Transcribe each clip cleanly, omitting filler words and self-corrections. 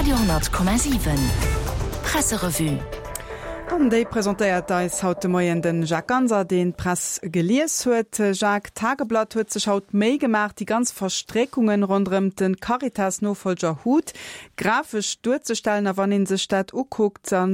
Radio 10,7 Presserevue. An déi presentéiert eis haut de Moien de Jacques Ganser, deen d'Press gelies huet. Jacques, d'Tageblatt huet sech haut d'Méi gemaach, déi ganz Verstréckungen ronderëm de Caritas-Nofollger Huth grafesch duerzestellen. A wann ee sech dat ukuckt, da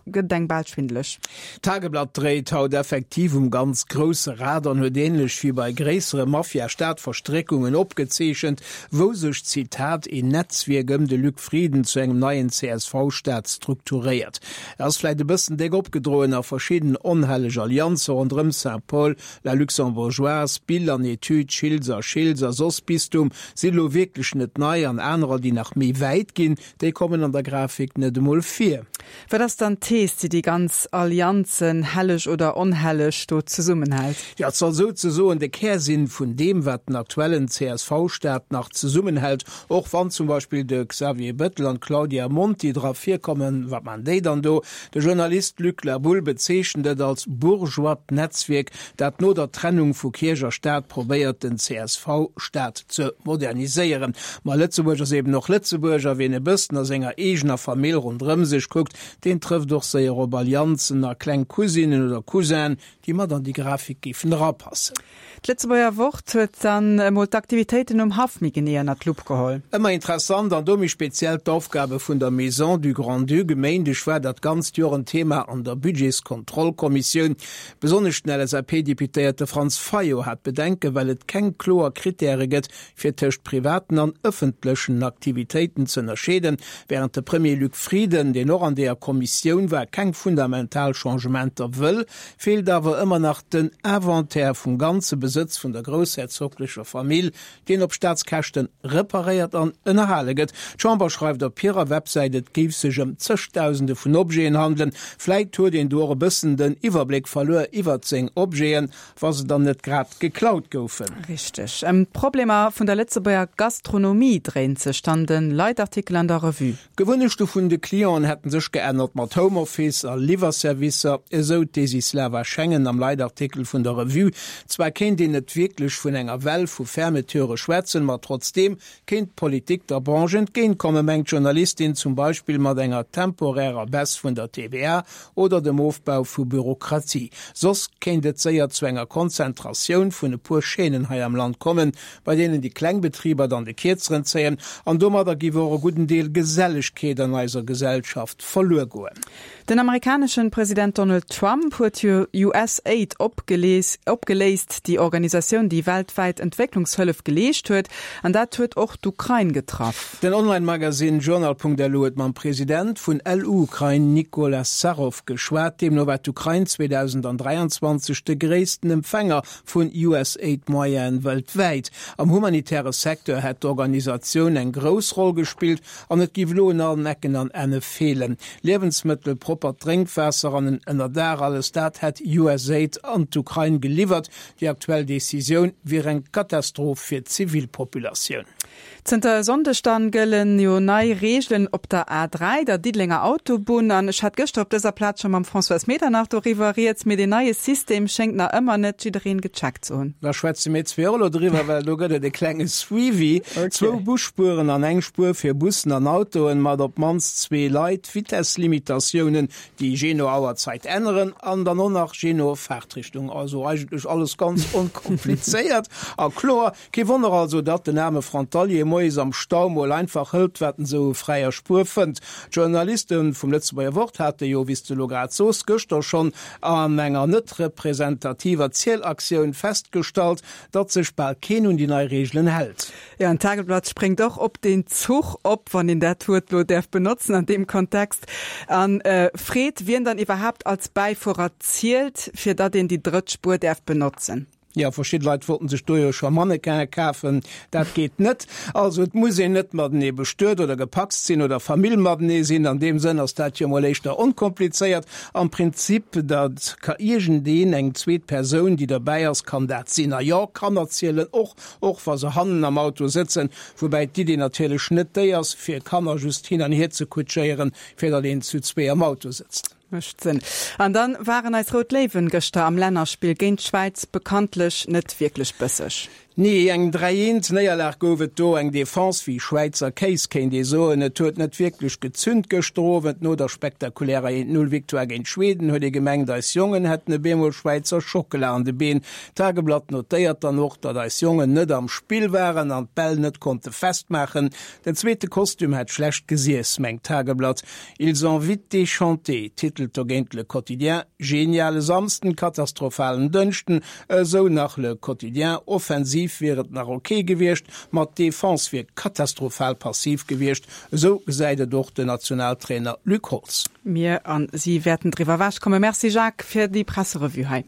gëtt et engem bal schwindeleg. D'Tageblatt dréit haut effektiv um ganz grousse Rad an huet ähnlech wéi bei gréissere Mafia-Staat-Verstréckungen opgezeechent, wou sech, Zitat, een Netzwierk ëm de Luc Frieden zu engem neien CSV-Staat strukturéiert. Et ass vläit e bëssen déck opgedroen a verschidden onhelleg Allianze ronderëm Saint-Paul, La Luxembourgeoise, Bill an Etüd, Schiltz a Schiltz a soss Bistum sinn elo wierklech net nei an anerer, déi nach méi wäit ginn, déi kommen an der Grafik net emol vir. Wat ass dann d'Thees, déi déi ganz Allianzen, helleg oder onhelleg, do zesummenhält? Jo, et soll souzesoen de Kär sinn vun deem, wat den aktuellen CSV-Staat nach zesummenhält, och wann zum Beispill de Xavier Bettel an d'Claudia Monti dra virkommen. Wat man déi dann do? De Journalist Luc La Boule bezeechent et als bourgeoist Netzwierk, dat no der Trennung vu Kierch a Staat probéiert, den CSV-Staat ze moderniséieren. Ma Lëtzebuerg ass eben och Lëtzebuerg, a wien e bëssen a senger eegener Famill ronderëm sech kuckt, deen trëfft och séier op Allianzen a kleng Cousinen oder Cousinen, déi mat an déi Grafik géifen erapassen. D'Lëtzebuerger Wort huet dann emol d'Aktivitéiten um Haff méi genee ënnert d'Lupp geholl. Ëmmer interessant, an do méi speziell d'Aufgabe vun der Maison du Grand-Duc. E Méindeg war dat ganzt Joer en Thema an der Budgetskontrollkommissioun. Besonnesch den LSAP-Deputéierte Franz Fayot hat Bedenken, well et keng kloer Krittäre gëtt, fir tëscht privaten an ëffentlechen Aktivitéiten ze ënnerscheeden, wärend de Premier Luc Frieden, deen och an deeër Kommissioun war, keng fundamental Changementer wëll, feelt awer ëmmer nach den Inventaire vum ganze Besëtz vun der groussherzoglecher Famill, deen op Staatskäschte reparéiert an ënnerhale gëtt. D'Chamber schreift op hirer Websäit, et géif sech ëm zëgdausende vun Objeten handelen. Vläit huet een do och e bëssen den Iwwerbléck verluer iwwert seng Objeten, wa se dann net grad geklaut goufen. Richteg. Ëm d'Problemer vun der Lëtzebuerger Gastronomie dréint sech dann de Leitartikel an der Revue. D'Gewunnechte vun de Clienten hätten sech geännert mat Homeoffice a Liwwerservicer, esou d'Desislava Schengen am Leitartikel vun der Revue. Zwar kéint een net wierklech vun enger Well vu Fermeturë schwätzen, ma trotzdeem kéint d'Politik der Branche entgéintkommen, mengt d'Journalistin, zum Beispill mat enger temporärer Baisse vun der TVA oder dem Ofbau vu Bürokratie. Soss kéint et séier zu enger Konzentratioun vun e puer Chaînen hei am Land kommen, bei deenen déi kleng Betriber dann de Kierzeren zéien an domadder giff och e gudden Deel Gesellegkeet an eiser Gesellschaft verluer goen. Den amerikaneschen President Donald Trump huet jo USAID opgeléist, déi Organisatioun déi weltwäit Entwécklungshëllef geleescht huet, an dat huet och d'Ukrain getraff. Den Online-Magasinn Journal.lu huet mam President vun LU-Ukrain Nikola Sarov geschwat. Deemno war d'Ukrain 2023 de gréissten Empfänger vun USAID-Moyene weltwäit. Am humanitäre Secteur hätt d'Organisatioun eng grouss Roll gespillt an et géif elo un allen Ecken an Enne feelen. Liewensmëttel, proppert Drénkwaasser an en Ënnerdaach, alles dat hätt USAID an d'Ukrain geliwwert. Déi aktuell Decisioun wier eng Katastroph fir d'Zivilpopulatioun. Zënter e Sonndeg dann gëllen jo nei Reegelen op der A3, der Diddelenger Autobunn. An ech hat gëschter op dëser Plaz scho mam Françoise Medernach doriwwer rieds, mee deen neie System schéngt nach ëmmer net jiddereen gecheckt ze hunn. Da schwätze mir zwee och elo driwwer, well do gëtt et e klenge Suivi. Zwou Busspueren an eng Spuer fir Bussen an Autoen mat op d'mannst zwee Leit, Vitesslimitatiounen, déi jee no Auerzeit änneren an dann och nach jee no Fahrtrichtung. Also eigentlech alles ganz onkomplizéiert a kloer. Kee Wonner also, datt den aarme Frontalier moies am Stau mol einfach hëlt, wat en sou u fräier Spuer fënnt. D'Journaliste vum Lëtzebuerger Wort hate jo, wéi s de elo grad soos, gëschter schonn an enger net representativer Zielaktioun festgestallt, datt sech bal keen un déi nei Reegelen hält. Jo, an d'Tageblatt spréngt och op deen Zuch op, wann een dat Wuert elo däerf benotzen an deem Kontext, a freet, wien dann iwwerhaapt als Bäifuerer zielt, fir datt een déi drëtt Spuer däerf benotzen. Jo, verschidde Leit wollten sech do jo scho Mannequin'e kafen. Dat geet net. Also et muss een net matenee bestuet oder gepacst sinn oder Famill matenee sinn. An deem Sënn ass dat jo mol éischter onkomplizéiert. Am Prinzip, dat ka iergendeen, eng zweet Persoun, déi derbäi ass, kann dat sinn. A jo, Kanner zielen och, och wa se hannen am Auto sëtzen. Woubäi d'Idee natierlech net déi ass, fir Kanner just hin an hier ze kutschéieren, fir datt een zu zwee am Auto sëtzt. Mécht Sënn. An dann waren eis Rout Léiwen gëschter am Lännerspill géint d'Schwäiz bekanntlech net wierklech bësseg. Nee, eng 3 eent Néierlag gouf et do. Eng Defense wéi Schwäizer Kéis, kéint ee soen. Et huet net wierklech gezünt gëschter Owend. No der spektakulärer 1, 0 Victoire géint Schweden huet ee gemengt, eis Jongen hätten e bemol Schwäizer Schockela an de Been. D'Tageblatt notéiert dann och, datt eis Jongen net am Spill waren an d'Bäll net konnte festmaachen. Den zweete Kostüm hätt schlecht gesiess, mengt d'Tageblatt. Ils ont vite déchanté, titelt dogéint Le Quotidien. Geniale Samsden, katastrophalen Dënschden, Esou nach Le Quotidien, Offensiv wier et nach ok gewiescht, ma d'Defense wier katastrophal passiv gewiescht. Esou gesäit et och den Nationaltrainer Luc Holtz. Mir a si wäerten driwwer ewechkommen. Merci Jacques fir déi Presserevue hei.